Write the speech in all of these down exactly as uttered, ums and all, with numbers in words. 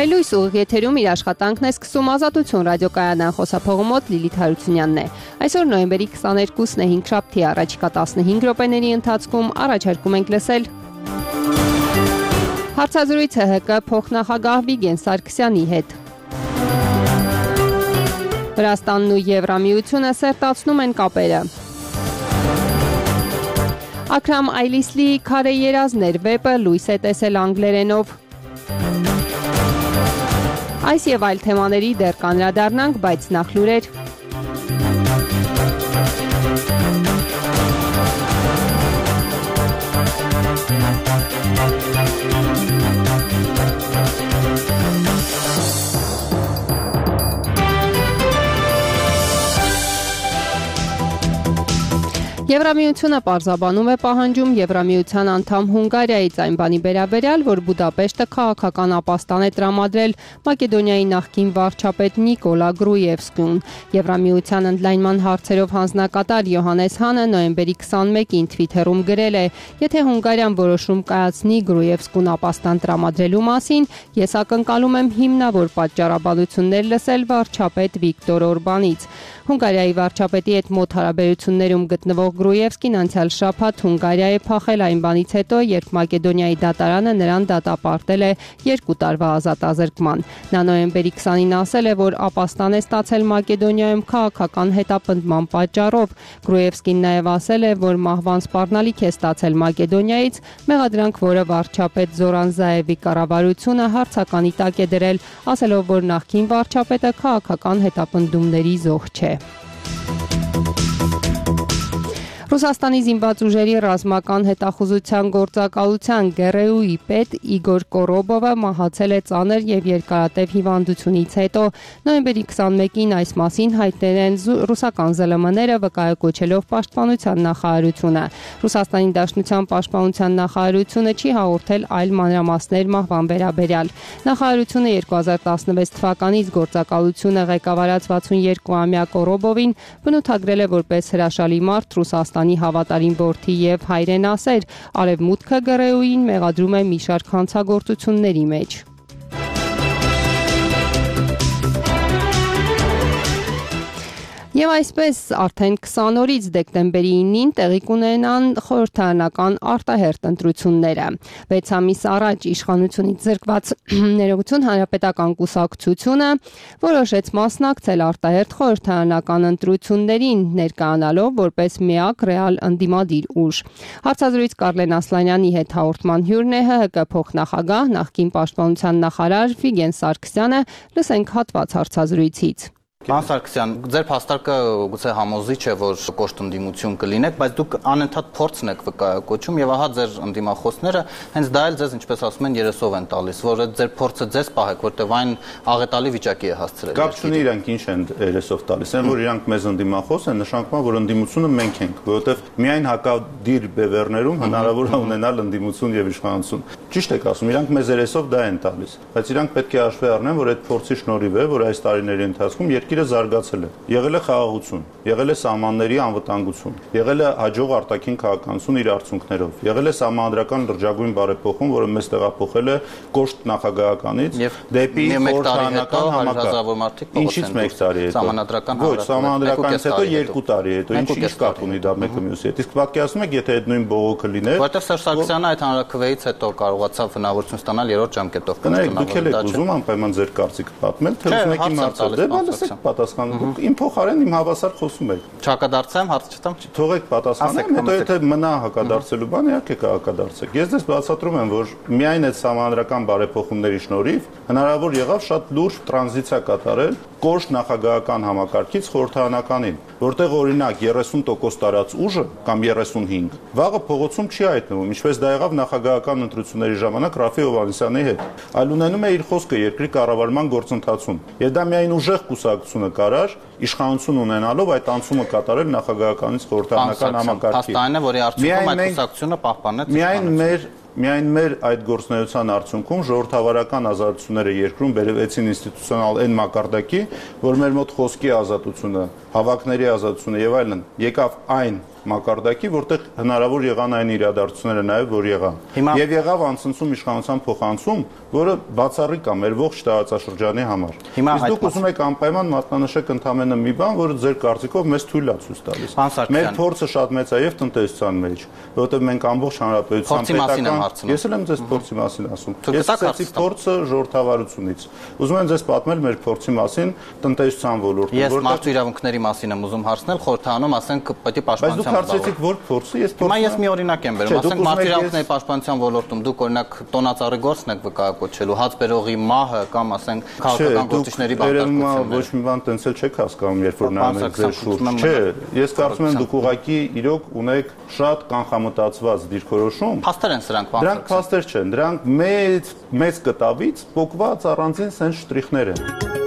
Հայլույս ուղիղ եթերում իր աշխատանքն է սկսում Ազատություն ռադիոկայանն խոսափողումոտ Լիլիթ Հարությունյանն է։ Այսօր նոյեմբերի քսաներկուսն է հինգշաբթի առաջիկա տասնհինգ րոպեների ընթացքում առաջարկում ենք լսել հարցազրույց ՀՀԿ փոխնախագահ Վիգեն Սարգսյանի հետ։ Վրաստանն ու Եվրամիությունը սերտացնում են կապերը։ Աքրամ Այլիսլիի «Քարե երազներ» վեպը լույս է տեսել անգլերենով։ Այս եւ այլ թեմաների դեռ կանրադառնանք, բայց նախ լուրեր։ Եվրամիությունը պարզաբանում է պահանջում Եվրամիության անդամ Հունգարիայից այն բանի վերաբերյալ, որ Բուդապեշտը քաղաքական ապաստան է տրամադրել Մակեդոնիայի նախկին վարչապետ Նիկոլա Գրուևսկուն։ Եվրամիության ընդլայնման հարցերով հանձնակատար Յոհանես Հանը նոյեմբերի քսանմեկին Թվիթերում գրել է. «Եթե Հունգարիան որոշում կայացնի Գրուևսկուն ապաստան տրամադրելու մասին, ես ակնկալում եմ հիմնավոր պատճառաբանություններ լսել վարչապետ Վիկտոր Օրբանից»։ Հունգարիայի վարչապետի հետ մոտ հարաբերություններում գտնվող Գրուևսկին անցյալ շաբաթ Հունգարիա է փախել այն բանից հետո, երբ Մակեդոնիայի դատարանը նրան դատապարտել է երկու տարվա ազատազրկման։ Նա նոյեմբերի քսանին ասել է, որ ապաստան է ստացել Մակեդոնիայում քաղաքական հետապնդման պատճառով։ Գրուևսկին նաև ասել է, որ մահվան սպառնալիք է ստացել Մակեդոնիայից, մեղադրանք, որը վարչապետ Զորան Զաևի կառավարությունը հարցականի տակ է դրել, ասելով, որ նախկին վարչապետը քաղաքական հետապնդումների զոհ չէ։ Ռուսաստանի զինված ուժերի ռազմական հետախուզության գործակալության ԳՌՈՒ-ի պետ Իգոր Կորոբովը մահացել է ծանր եւ երկարատև հիվանդությունից հետո։ Նոյեմբերի քսանմեկին այս մասին հայտնել են ռուսական ԶԼՄ-ները, վկայակոչելով Պաշտպանության նախարարությունը։ Ռուսաստանի Դաշնության Պաշտպանության նախարարությունը չի հաղորդել այլ մանրամասներ մահվան վերաբերյալ։ Նախարարությունը երկու հազար տասնվեց թվականից գործակալությունը ղեկավարած վաթսունյոթ-ամյա Կորոբովին բնութագրել է որպես հրաշալի մարդ, Ռուսաստանի հավատարիմ որդի եւ հայրենասեր։ Արևմուտքը ԳՌՈՒ-ին մեղադրում է մի շարք հանցագործությունների մեջ։ Եվ այսպես արդեն քսան օրից դեկտեմբերի ինին տեղի կունենան խորհրդարանական արտահերթ ընտրությունները։ վեց ամիս առաջ իշխանությունից զրկված Ներողություն հանրապետական կուսակցությունը որոշեց մասնակցել արտահերթ խորհրդարանական ընտրություններին, ներկայանալով որպես միակ ռեալ ընդդիմադիր ուժ։ Հարցազրույց Կարլեն Ասլանյանի հետ հաղորդման հյուրն է ՀՀԿ փոխնախագահ, նախկին պաշտպանության նախարար Վիգեն Սարգսյանը։ Լսենք հատված հարցազրույցից։ Պարոն Սարգսյան, ձեր փաստարկը գուցե համոզիչ է, որ կոշտ ընդդիմություն կլինեք, բայց դուք անընդհատ փորձն եք վկայակոչում եւ ահա ձեր ընդդիմախոսները հենց դա էլ ձեզ, ինչպես ասում են, երեսով են տալիս, որ այդ ձեր փորձը ձեզ պահեք, որտեղ այն աղետալի վիճակի է հասցրել։ Կապ չունի իրանք ինչ են երեսով տալիս, այն որ իրանք մեզ ընդդիմախոս են, նշանակում է, որ ընդդիմությունը մենք ենք, որովհետեւ միայն հակադիր բևեռներում հնարավոր է ունենալ ընդդիմություն եւ իշխանություն։ Ճիշտ եք ասում, իրանք մեզ երեսով դա են տալիս, բայց իրանք պետք է հաշվի առնեն, որ այդ փորձի շնորհիվ է, որ այս տարիների ընթացքում երկիրը զարգացել է, եղել է խաղաղություն, եղել է սահմանների անվտանգություն, եղել է հաջող արտաքին քաղաքականություն իր արդյունքներով, եղել է սահմանադրական լրջագույն բարեփոխում, որը մեզ տեղափոխել է կոշտ նախագահականից դեպի խորհրդարանական համակարգ։ Ինչից մեկ տարի հետո։ Սահմանադրական Ոչ, սահմանադրականից հետո երկու տարի հետո, ինչ կապ ունի դա մեկը մյուսի հետ։ Իսկ պատկերացնում եք, եթե այդ նույն բողոքը լիներ, որտեղ Սերժ Սարգսյանը այդ հանրաքվեից հետո կարողացավ հնարավորություն ստանալ երրորդ ժամկետով կնայեք, դուք եք ուզում անպայման ձեր կարծիքը պատմել, թե ուզում եք իմ հարցը։ Դե բալսեք պատասխան։ Իմ փոխարեն իմ հավասար խոսում եք։ Չհակադարձեմ, հարց չտամ։ Թողեք պատասխանեմ, հետո եթե մնա հակադարձելու բան, իհարկե կհակադարձեք։ Ես դες բացատրում եմ, որ միայն այդ սահմանադրական բարեփոխումների շնորհիվ հնարավոր եղավ շատ լուրջ տրանզիցիա կատարել կոշտ նախագահական համակարգից խորհրդարանականին, որտեղ օրինակ երեսուն տոկոս տարած ուժը կամ երեսունհինգ վաղը փողոցում չի հայտնվում, ինչպես դա եղավ նախագահական ընտրությունների ժամանակ Ռաֆի Հովհաննիսյանի հետ, այլ ունենում է իր խոսքը երկրի կառավարման գործընթացում։ Եվ դա միայն ուժեղ կուսակցությունը կարար իշխանություն ունենալով այդ անցումը կատարել նախագահականից խորհրդարանական համակարգի։ Փաստային է, որի արդյունքում այդ կուսակցությունը պահպանեց միայն մեր միայն մեր այդ գործունեության արդյունքում ժողովրդավարական ազատությունները երկրում բերվեցին ինստիտուցիոնալ այն մակարդակի, որ մեր մոտ խոսքի ազատությունը, հավաքների ազատությունը եւ այլն եկավ այն մակարդակի, որտեղ հնարավոր եղան այն իրադարձությունները նաև, որ եղան։ Եվ եղավ անցնցում իշխանության փոխանցում, որը բացառիկ է մեր ողջ տարածաշրջանի համար։ Իսկ դուք ուզում եք անպայման մատնանշեք ընդամենը մի բան, որը ձեր կարծիքով մեզ թույլ է ցույց տալիս։ Մեր փորձը շատ մեծ է եւ տնտեսության մեջ, որովհետեւ մենք ամբողջ հանրապետության պետական, ես էլ եմ ձեզ փորձի մասին ասում։ Ես սկսեցի փորձը ժողովրդավարությունից։ Ուզում եմ ձեզ պատմել մեր փորձի մասին տնտեսության ոլորտում, որտեղ ես մարդու իրավունքների մասին եմ ուզում հարցնել, խորհրդանում ասենք պետք է պաշտպանության Հարցեցիք որ փորձը, ես փորձը։ Հիմա ես մի օրինակ եմ բերում, ասենք մարդու իրավունքների պաշտպանության ոլորտում դուք օրինակ տոնածառի գործն եք վկայակոչելու, հաց բերողի մահը կամ ասենք քաղաքական գործիչների բանտարկությունը։ Ոչ մի բան տենց էլ չեք հասկանում, երբ որ նայում եք ձեր շուրջ։ Չէ, ես կարծում եմ դուք ուղղակի իրոք ունեք շատ կանխամտածված դիրքորոշում։ Փաստեր են սրանք, բան։ Դրանք փաստեր չեն, դրանք մեծ մեծ կտավից փոկված առանձին սեն շտրիխներ են։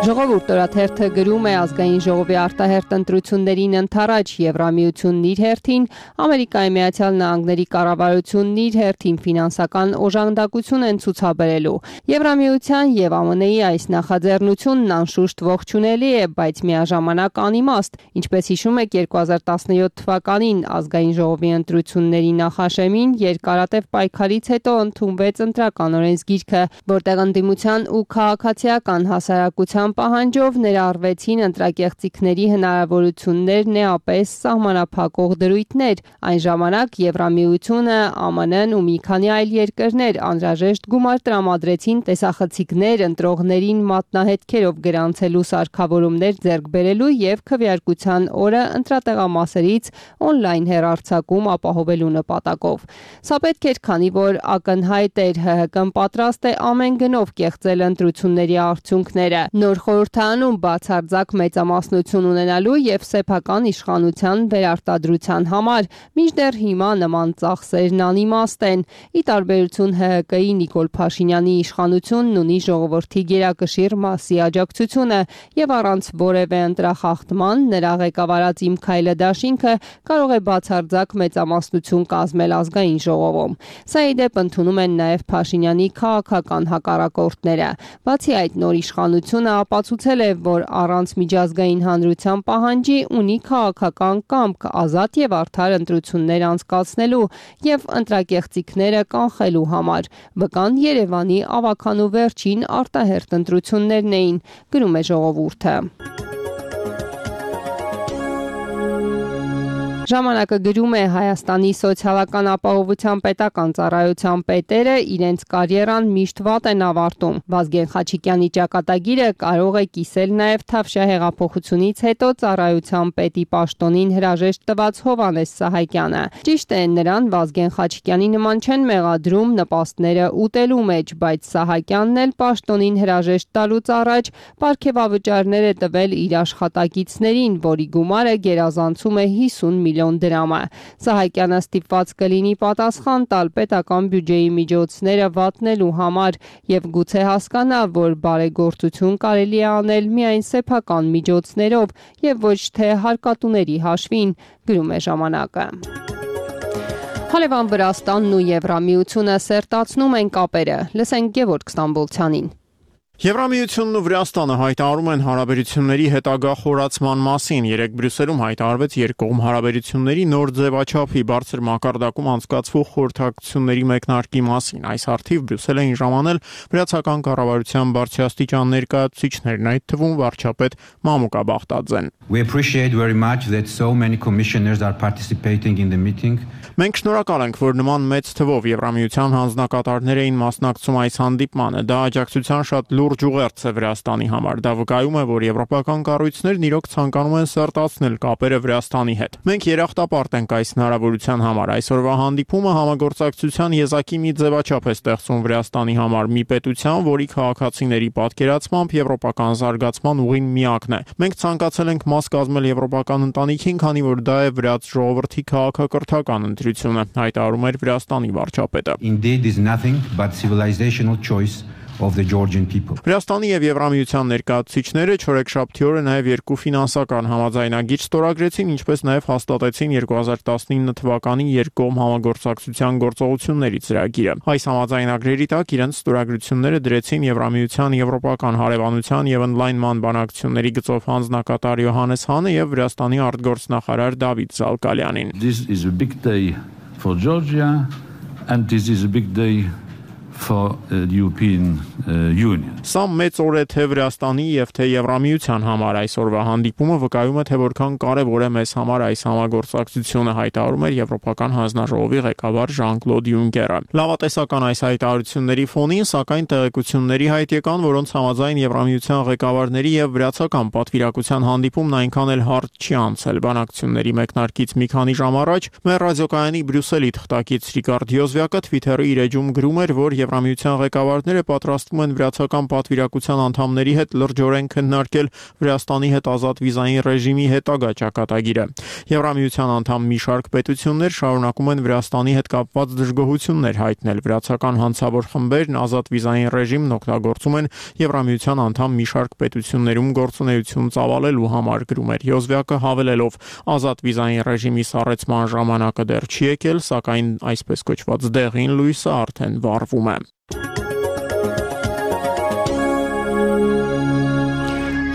Ժողովուրդ օրաթերթը գրում է ազգային ժողովի արտահերթ ընտրություններին ընթരാճ Եվրամիությունն իր հերթին, Ամերիկայի Միացյալ Նահանգների կառավարությունն իր հերթին ֆինանսական օժանդակություն են ցուցաբերելու։ Եվրամիության եւ ԱՄՆ -ի այս նախաձեռնությունն անշուշտ ողջունելի է, բայց միաժամանակ անիմաստ, ինչպես հիշում եք երկու հազար տասնյոթ թվականին ազգային ժողովի ընտրությունների նախաշեմին երկարատև պայքարից հետո ընդունվեց ընտրական օրենսգիրքը, որտեղ ընդդիմության ու քաղաքացիական հասարակության պահանջով ներառվեցին ընտրակեղծիքների հնարավորություններ նեապես սահմանափակող դրույթներ։ Այն ժամանակ Եվրամիությունը, ԱՄՆ-ն ու մի քանի այլ երկրներ անհրաժեշտ գումար տրամադրեցին տեսախցիկներ ընտրողներին մատնահետքերով գրանցելու սարքավորումներ ձեռք բերելու եւ քվեարկության օրը ընտրատեղամասերից օնլայն հեռարձակում ապահովելու նպատակով։ Սա պետք էր, քանի որ ակնհայտ էր ՀՀԿ-ն պատրաստ է ամեն գնով կեղծել ընտրությունների արդյունքները։ Նոր խորհրդանում բացարձակ մեծամասնություն ունենալու եւ սեփական իշխանության վերարտադրության համար, մինչդեռ հիմա նման ծախսերն անիմաստ են։ Ի տարբերություն ՀՀԿ-ի Նիկոլ Փաշինյանի իշխանությունն ունի ժողովրդի գերակշիռ մասի աջակցությունը եւ առանց որևէ ընտրախախտման նրա ղեկավարած Իմ քայլը դաշինքը կարող է բացարձակ մեծամասնություն կազմել ազգային ժողովում։ Սա ի դեպ ընդունում են նաեւ Փաշինյանի քաղաքական հակառակորդները։ Բացի այդ, նոր իշխանությունը ապացուցել է, որ առանց միջազգային հանրության պահանջի ունի քաղաքական կամք ազատ եւ արդար ընտրություններ անցկացնելու եւ ընտրակեղծիքները կանխելու համար։ Վկան Երևանի ավագանու վերջին արտահերթ ընտրություններն էին, գրում է Ժողովուրդը։ Ժամանակը գրում է Հայաստանի սոցիալական ապահովության պետական ծառայության պետերը իրենց կարիերան միշտ վատ են ավարտում։ Վազգեն Խաչիկյանի ճակատագիրը կարող է կիսել նաև Թավշյա հեղափոխությունից հետո ծառայության պետի պաշտոնին հրաժեշտ տված Հովհաննես Սահակյանը։ Ճիշտ է, նրան Վազգեն Խաչիկյանի նման չեն մեղադրում նպաստները ուտելու մեջ, բայց Սահակյանն էլ պաշտոնին հրաժեշտ տալուց առաջ պարգևավճարներ է տվել իր աշխատակիցներին, որի գումարը գերազանցում է հիսուն միլիոն դրամը։ Սահակյանը ստիպված կլինի պատասխան տալ պետական բյուջեի միջոցները վատնելու համար եւ գուցե հասկանա, որ բարեգործություն կարելի է անել միայն սեփական միջոցներով եւ ոչ թե հարկատուների հաշվին, գրում է Ժամանակը։ Հալևան Վրաստանն ու Եվրամիությունը սերտացնում են կապերը։ Լսենք Գևորգ Ստամբոլցյանին։ Եվրամիությունն ու Վրաստանը հայտարարում են հարաբերությունների հետագա խորացման մասին։ Երեկ Բրյուսելում հայտարարվեց երկկողմ հարաբերությունների նոր ձևաչափի բարձր մակարդակում անցկացվող խորհրդակցությունների մեկնարկի մասին։ Այս հարթիվ Բրյուսել էին ժամանել վրացական կառավարության բարձրաստիճան ներկայացուցիչներն, այդ թվում վարչապետ Մամուկա Բախտաձեն։ We appreciate very much that so many commissioners are participating in the meeting. Մենք շնորհակալ ենք, որ նման մեծ թվով Եվրամիության հանձնակատարներ էին մասնակցում այս հանդիպմանը։ Դա աջակցության շատ լուրջ ուղերձ է Վրաստանի համար։ Դա վկայում է, որ եվրոպական կառույցներն իրոք ցանկանում են սերտացնել կապերը Վրաստանի հետ։ Մենք երախտապարտ ենք այս հնարավորության համար։ Այսօրվա հանդիպումը համագործակցության եզակի մի ձևաչափ է ստեղծում Վրաստանի համար, մի պետության, որի քաղաքացիների պատկերացմամբ եվրոպական զարգացման ուղին միակն է։ Մենք ցանկացել ենք մաս կազմել եվրոպական ընտանիքին, քանի որ դա է վրաց ժողովրդի քաղաքակրթական ընտրությունը, հայտարարում էր Վրաստանի վարչապետը։ Indeed is nothing but civilizational choice of the Georgian people. Վրաստանի եւ Եվրամիության ներկայացուցիչները չորեքշաբթի օրը նաեւ երկու ֆինանսական համաձայնագիր ստորագրեցին, ինչպես նաեւ հաստատեցին երկու հազար տասնինը թվականի երկկողմ համագործակցության գործողությունների ծրագիրը։ Այս համաձայնագրերի տակ իրենց ստորագրությունները դրեցին Եվրամիության եվրոպական հարևանության եւ ընդլայնման բանակցությունների գծով հանձնակատար Յոհաննես Հանը եւ Վրաստանի արտգործնախարար Դավիթ Զալկալյանին։ This is a big day for Georgia and this is a big day for uh, the European uh, Union. Սա մեծ օր է թե Վրաստանի եւ թե Եվրամիության համար այսօրվա հանդիպումը վկայում է թե որքան կարեւոր է մեզ համար այս համագործակցությունը, հայտարարում էր Եվրոպական հանձնաժողովի ղեկավար Ժան-Կլոդ Յունկերը։ Լավատեսական այս հայտարարությունների ֆոնին, սակայն տեղեկությունների հայտ եկան, որոնց համաձայն Եվրամիության ղեկավարների եւ վրացական պատվիրակության հանդիպումն այնքան էլ հարթ չի անցել։ Բանակցությունների մեկնարկից մի քանի ժամ առաջ մեր ռադիոկայանի Բրյուսելի թղթակից Ռիկարդ Յոզվյակը Twitter-ի իր էջում գրում էր, որ Եվրամիության ղեկավարները պատրաստվում են վրացական պատվիրակության անդամների հետ լրջորեն քննարկել Վրաստանի հետ ազատ վիզային ռեժիմի հետագա ճակատագիրը։ Եվրամիության անդամ մի շարք պետություններ շարունակում են Վրաստանի հետ կապված դժգոհություններ հայտնել։ Վրացական հանցավոր խմբերն ազատ վիզային ռեժիմն օգտագործում են Եվրամիության անդամ մի շարք պետություններում գործունեություն ծավալելու համար, գրում էր Յոզվյակը, հավելելով. ազատ վիզային ռեժիմի սառեցման ժամանակը դեռ չի եկել, սակայն այսպես կոչված դեղին լույսը արդեն վառվում է։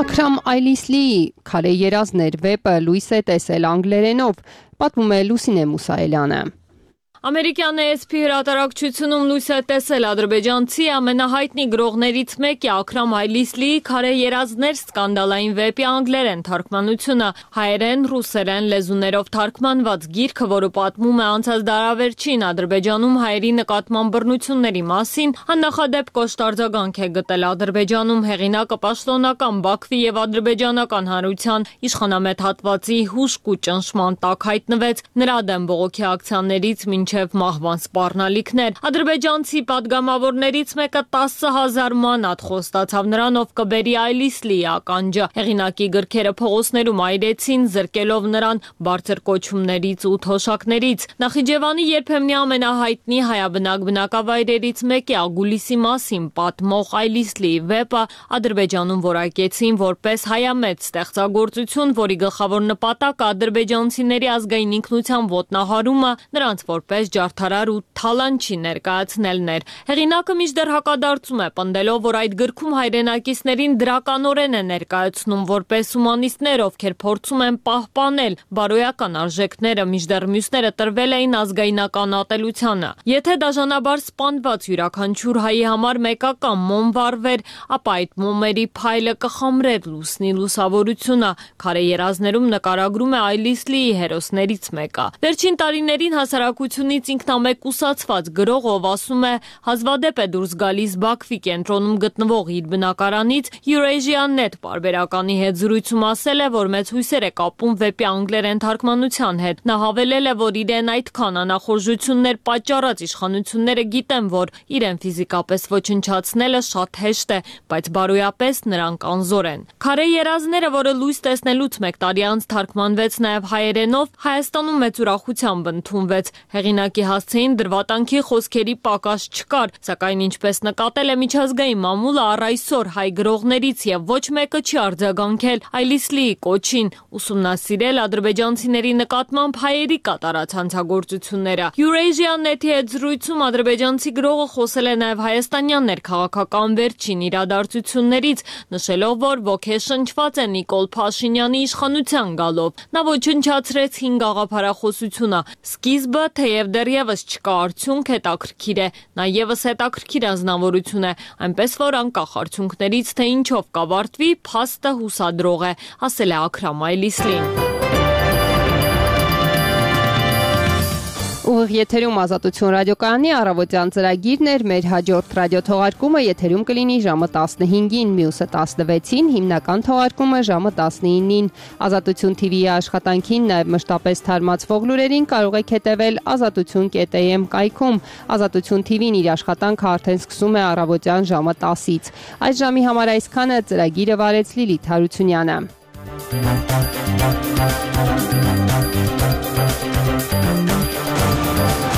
Աքրամ Այլիսլիի «Քարե երազներ» վեպը լույս է տեսել անգլերենով, պատմում է Լուսինե Մուսայելյանը։ Ամերիկյան A S P հրատարակչությունում լույս է տեսել ադրբեջանցի ամենահայտնի գրողներից մեկի Աքրամ Այլիսլիի «Քարե երազներ» սկանդալային վեպի անգլերեն թարգմանությունը, հայերեն, ռուսերեն լեզուներով թարգմանված գիրքը, որը պատմում է անցած դարավերջին Ադրբեջանում հայերի նկատմամբ բռնությունների մասին, աննախադեպ կոշտ արձագանք է գտել Ադրբեջանում։ Հեղինակը պաշտոնական Բաքվի եւ ադրբեջանական հանրության իշխանամետ հատվածի հուշք ու ճնշման տակ հայտնվեց, նրա դեմ բողոքի ակցիաներից մինչ մահվան սպառնալիքներ։ Ադրբեջանցի պատգամավորներից մեկը տասը հազար մանաթ խոստացավ նրան, ով կբերի Այլիսլիի ականջը։ Հեղինակի գրքերը փողոցներում այրեցին, զրկելով նրան բարձր կոչումներից ու թոշակներից։ Նախիջևանի երբեմնի ամենահայտնի հայաբնակ բնակավայրերից մեկի Ագուլիսի մասին պատմող Այլիսլիի վեպը Ադրբեջանում որակեցին որպես հայամետ ստեղծագործություն, որի գլխավոր նպատակը ադրբեջանցիների ազգային ինքնության ոտնահարումը, նրանց որպես ջարդարար ու թալանչի ներկայացնելն էր։ Հեղինակը մինչդեռ հակադարձում է, պնդելով, որ այդ գրքում հայրենակիցներին դրականորեն է ներկայացնում որպես հումանիստներ, ովքեր փորձում են պահպանել բարոյական արժեքները, մինչդեռ մյուսները տրվել էին ազգայնական ատելությանը։ Եթե դաժանաբար սպանված յուրաքանչյուր հայի համար մեկական մոմ վառվեր, ապա այդ մոմերի փայլը կխամրեր լուսնի լուսավորությունը։ Քարե երազներում նկարագրում է Այլիսլիի հերոսներից մեկը։ Վերջին տարիներին հասարակությունից ինքնամեկուսացված գրող, ով ասում է հազվադեպ է դուրս գալիս Բաքվի կենտրոնում գտնվող իր բնակարանից, Eurasia.net պարբերականի հետ զրույցում ասել է, որ մեծ հույսեր է կապում վեպի անգլերեն թարգմանության հետ։ Նա հավելել է, որ իրեն այդքան անախորժություններ պատճառած իշխանությունները գիտեն, որ իրեն ֆիզիկապես ոչնչացնելը շատ հեշտ է, բայց բարոյապես նրանք անզոր են։ Քարե երազները, որը լույս տեսնելուց մեկ տարի անց թարգմանվեց նաև հայերենով, Հայաստանում մեծ ուրախությամբ ընդունվեց։ Հեղինակի հասցեին դրվատանքի խոսքերի պակաս չկար, սակայն ինչպես նկատել է միջազգային մամուլը, առ այսօր հայ գրողներից եւ ոչ մեկը չի արձագանքել Այլիսլիի կոչին ուսումնասիրել ադրբեջանցիների նկատմամբ հայերի կատարած հանցագործությունները։ Eurasia.net-ի հետ զրույցում ադրբեջանցի գրողը խոսել է նաև հայաստանյան ներքաղաքական վերջին իրադարձություններից, նշելով, որ ոգեշնչված է Նիկոլ Փաշինյանի իշխանության գալով։ Նա ոչնչացրեց հին գաղափարախոսությունը։ Սկիզբը, թեև դեռևս չկա արդյունք, հետաքրքիր է, նա ևս հետաքրքիր անձնավորություն է, այնպես որ անկախ արդյունքներից, թե ինչով կավարտվի, փաստը հուսադրող է, ասել է Աքրամ Այլիսլին։ Ուղիղ եթերում Ազատություն ռադիոկայանի առավոտյան ծրագիրն էր, մեր հաջորդ ռադիոթողարկումը եթերում կլինի ժամը տասնհինգին, մյուսը տասնվեցին, հիմնական թողարկումը ժամը տասնինին։ Ազատություն T V-ի աշխատանքին, նաև մշտապես թարմացվող լուրերին կարող եք հետևել ազատություն կետ a m կայքում։ Ազատություն T V-ն իր աշխատանքը արդեն սկսում է առավոտյան ժամը տասից։ Այս ժամի համար այսքանը, ծրագիրը վարեց Լիլիթ Հարությունյանը։ Thank you.